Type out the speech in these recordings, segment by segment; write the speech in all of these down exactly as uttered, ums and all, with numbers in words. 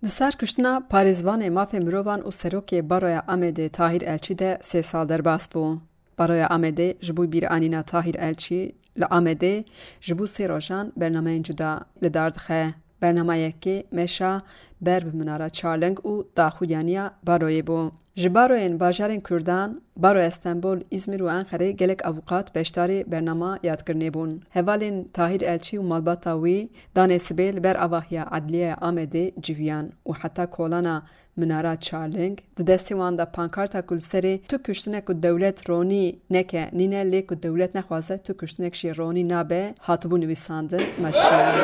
Di ser kuştina parêzvanê mafê mirovan û serokê Baroya Amedê Tahîr Elçî de sê sal derbas bû. Baroya Amedê ji bo bîranîna Tahîr Elçî li Amedê ji bo sê rojan bernameyên cuda li dar dixe. Bernama yekê meşa ber bi Minara Çarling û daxuyaniya baroyê bû. Ji baroyên bajarên Kurdan, Baroya Stenbol, Îzmîr û Enqerê gelek avûkat beşdarê bernama yadkirinê bûn. Hevalên Tahîr Elçî û malbata wî danê sibê li ber avahiya Edliyeya Amedê civiyan û heta kolana Minara Çarling di destê wan de pankarta ku li serê "Tu kuştinek ku dewlet ronî neke" nîne, lê "Ku dewlet nexwaze tu kuştinek jî ronî nabe" hatibû nivîsandin, meşiyan.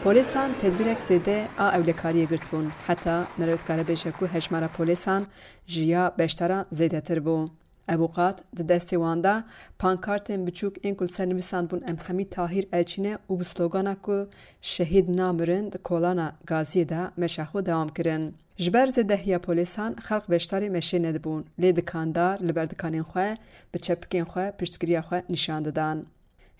Polîsan tedbîrek zêde a ewlekariyê girtibûn. Heta meriv dikare bêje ku hejmara polîsan ji ya beşdaran zêdetir bû. Ewqat di destê wan de pankartên biçûk ên ku li ser nivîsandibûn "Em hemî Tahîr Elçî ne" û bi slogana ku "Şehîd namirin" di kolana gaziyê de meşa xwe dewam kirin. Ji ber zêdehiya polîsan xelk beşdarê meşê nedibûn, lê dikandar li ber dikanên xwe bi çepikên xwe piştgiriya xwe nîşan didan.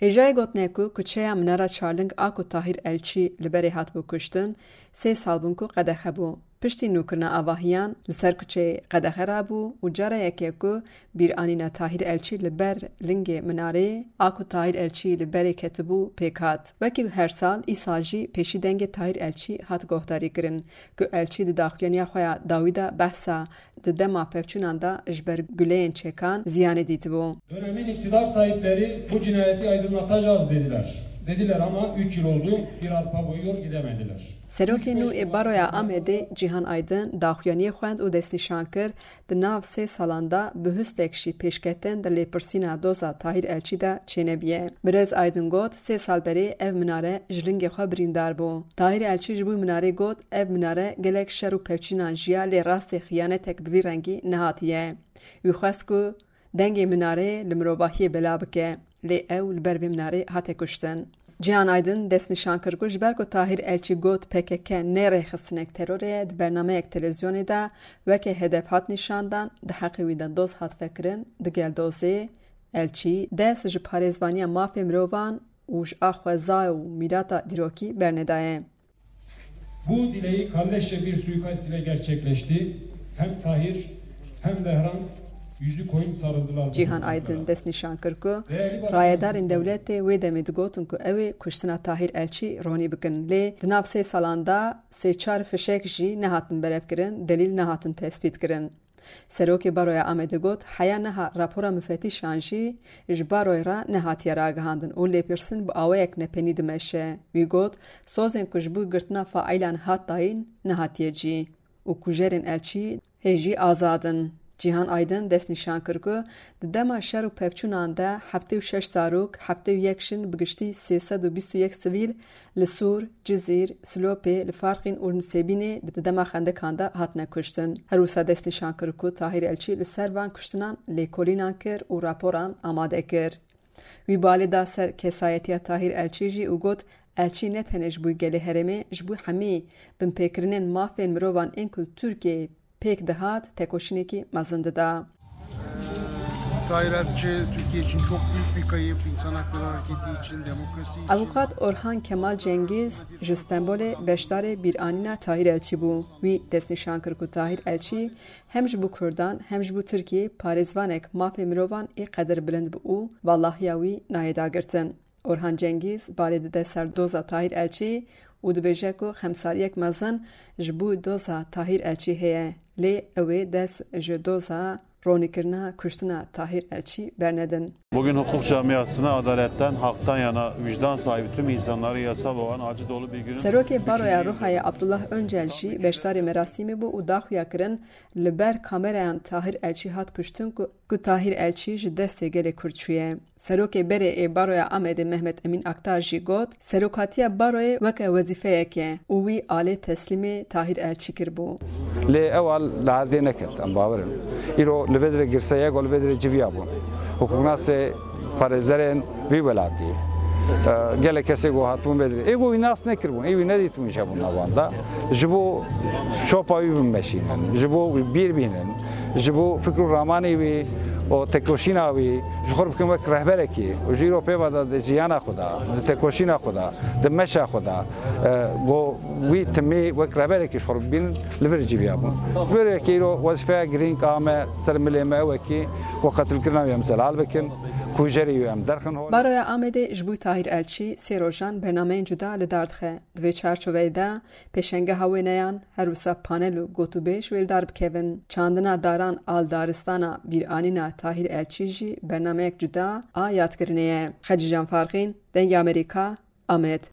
Hêjayê gotinê ku kuçeya Minara Çarling a ku Tahîr Elçî li berê hatibû kuştin, sê sal bûn ku qedexe bû. Piştî nûkirina avahiyan li ser kuçeyê qedexe rabû û cara yekê ku bîranîna Tahîr Elçî li ber lingê minareyê a ku Tahîr Elçî li berê ketibû pêk hat. Wekî her sal, îsal jî pêşî dengê Tahîr Elçî hat guhdarî kirin ku Elçî di daxuyaniya xwe ya dawî de behsa di dema pevçûnan de ji ber guleyên çêkan ziyanê dîtibû. Dönemin iktidar sahipleri bu cinayeti aydınlatacağız dediler. Dediler ama üç yıl oldu, bir arpa boyu yol gidemediler. Serokê nû ê Baroya Amedê Cîhan Aydin daxuyaniyê xwend û destnîşan kir, di nav sê salan de bihustek jî pêşketin di lêpirsîna doza Tahîr Elçî de çênebiye. Birêz Aydin got, sê sal berê ev minare ji lingê xwe birîndar bû. Tahîr Elçî ji bo minarê got, ev minare gelek şer û pevçînan jiya, lê rastê xiyanetek bi vî rengî nehatiye. Wî xwest ku dengê minareyê li mirovahiyê bela bike, lê ew li ber vê minarê hate kuştin. Cihan Aydin destnîşan kir ku ji ber ku Tahîr Elçî got P K K ne rêxistinek terorê ye, di bernameyek televîzyonê de weke hedef hat nîşandan, di heqê wî de doz hat vekirin, digel dozê Elçî dest ji parêzvaniya mafê mirovan û ji a xweza û mîrata dîrokî bernedaye. Bu dileği kalleşçe bir suikast ile gerçekleşti. Hem Tahir hem Behram yüzü koyun sarıldılar. Cîhan Aydin destnîşan kir ku rayedarên dewletê wê demê digotin ku ew ê kuştina Tahîr Elçî ronî bikin, lê di nav sê salan de sê çar fişek jî nehatin berevkirin, delîl nehatin tespîtkirin. Serokê Baroya Amedê got, heya niha rapora mufetîşan jî ji baroyê re nehatiye ragihandin û lêpirsîn bi awayek nepenî dimeşe. Wî got, sozên ku ji bo girtina faîlan hat dayîn, nehatiye cî û kujerên Elçî hê jî azad in. Cîhan Aydin destnîşan kir ku di dema şer û pevçûnan de heftê û şeş zarok, heftê û yek jin, bi giştî sê sed û bîst û yek sivîl li Sûr, Cizîr, Silopê, li Farqîn û li Nisêbînê di dema xendekan de hatine kuştin. Her wisa destnîşan kir ku Tahîr Elçî li ser van kuştinan lêkolînan kir û raporan amade kir. Wî balê da ser kesayetiya Tahîr Elçî jî û got, Elçî ne tenê ji bo gelê herêmê, ji bo hemî binpêkirinên mafên mirovan ên ku li Tirkiyeyê pêk dihat, tekoşînekî mezin dida. Tahir Elçi Türkiye için çok büyük bir kayıp, insan hakları hareketi için, demokrasi için. Avûkat Orhan Kemal Cengîz ji Stenbolê beşdarê bîranîna Tahir Elçî bû. Wî destnîşan kir ku Tahir Elçî hem ji bo Kurdan hem ji bo Tirkiyê parêzvanek mafê mirovan ê qedirbilind bû û valahiya wî nayê dagirtin. Orhan Cengîz balê dide ser doza Tahîr Elçî û dibêje ku xemsaliyek mezin ji bo doza Tahîr Elçî heye, lê ew ê dest ji doza ronîkirina kuştina Tahîr Elçî bernedin. Bugün hukuk camiasına adaletten, haktan yana vicdan sahibi tüm insanları yasal olan acı dolu bir günün Serokê Baroya Rûhayê Abdullah Öncel jî beşdarî merasîmê bû û daxuya kirin, li ber kamerayan Tahîr Elçî hat kuştin ku, ku Tahîr Elçî ji destê gelê Kurd çûye. Serokê berê ê Baroya Amedê Mehmet Emîn Aktar jî got, serokatiya baroyê weke wezîfeyek e û wî alê teslîmê Tahîr Elçî kiribû. Lê ew al li erdê neket, em bawer in. Îro li vê dirê girseyek û li vê dirê civiya bûn. Hukuknasê parêzerên vî welatî, e, gelek kesê ku hatibûn vê dirê. Ê ku wî nas nekiribûn, ê wî nedîtibûn ji hebûn navan de. Ji bo şopa wî bimeşînin, ji bo wî bîr bînin, ji bo fikr û ramanê wî û têkoşîna wî ji xwe bikin wek rehberekî û ji îro pê ve de di jiyana xwe de, di têkoşîna xwe de, di meşa xwe de, e, ku wî timî wek rehberekî ji xwe bibînin, li vir cîviya bûn. Ji ber wê yekê îro wezîfeya girîng a me ser milê me ew e kî ku qetilkirina wî em zelal bikin, kujerî wî em derxin hol. Baroya Amedê ji bo Tahîr Elçî sê rojan bernameyên cuda li dar dixe. Di vê çarçoveyê de pêşengeha wêneyan, her wisa panel û gotûbêj wê li dar bikevin. Çandina daran a li daristana bîranîna Tahîr Elçî jî bernameyek cuda a yadkirinê ye. Xecîcan Farqîn, Dengê Amerîka, Amed.